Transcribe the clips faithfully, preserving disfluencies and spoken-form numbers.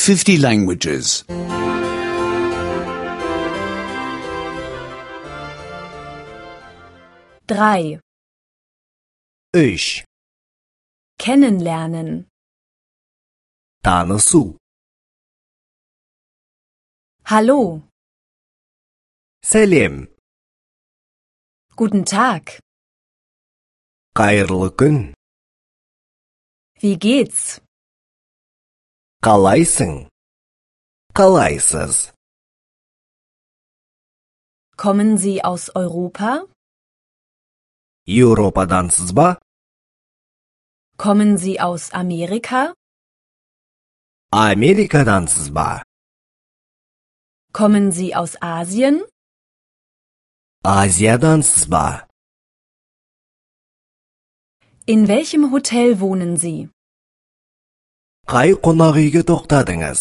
fifty languages. drei. Üç. Kennenlernen. Tanısu. Hallo. Selam. Guten Tag. Hayırlı gün. Wie geht's? Kalaysın. Kalaysız. Kommen Sie aus Europa? Avrupa'dansız ba? Kommen Sie aus Amerika? Amerika'dansız ba? Kommen Sie aus Asien? Asya'dansız ba? In welchem Hotel wohnen Sie? Qay qonaq uyga to'xtadingiz?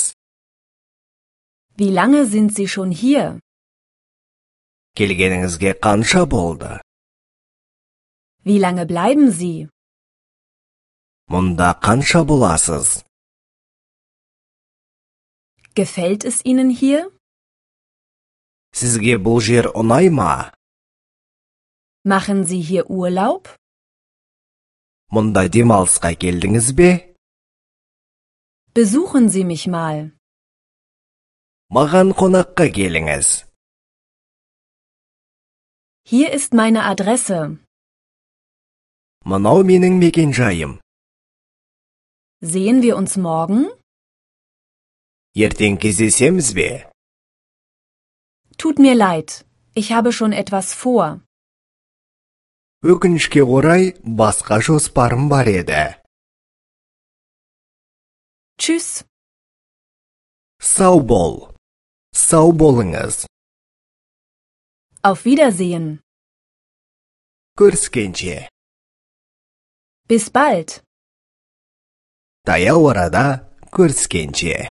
Wie lange sind Sie schon hier? Kelganingizga qancha bo'ldi? Wie lange bleiben Sie? Munda qancha bo'lasiz? Gefällt es Ihnen hier? Sizga bu yer unaymi? Machen Sie hier Urlaub? Munda demalsqa keldingizmi? Besuchen Sie mich mal. Mаған qonaqqa kelingiz. Hier ist meine Adresse. Manau mening mekenjoyim. Sehen wir uns morgen? Erteng kesishemizmi? Tut mir leid, ich habe schon etwas vor. Өкінішке орай басқа жоспарым бар еді. Tschüss. Сау бол. Сау болыңыз. Auf Wiedersehen. Көріскенше. Bis bald. Таяу арада көріскенше.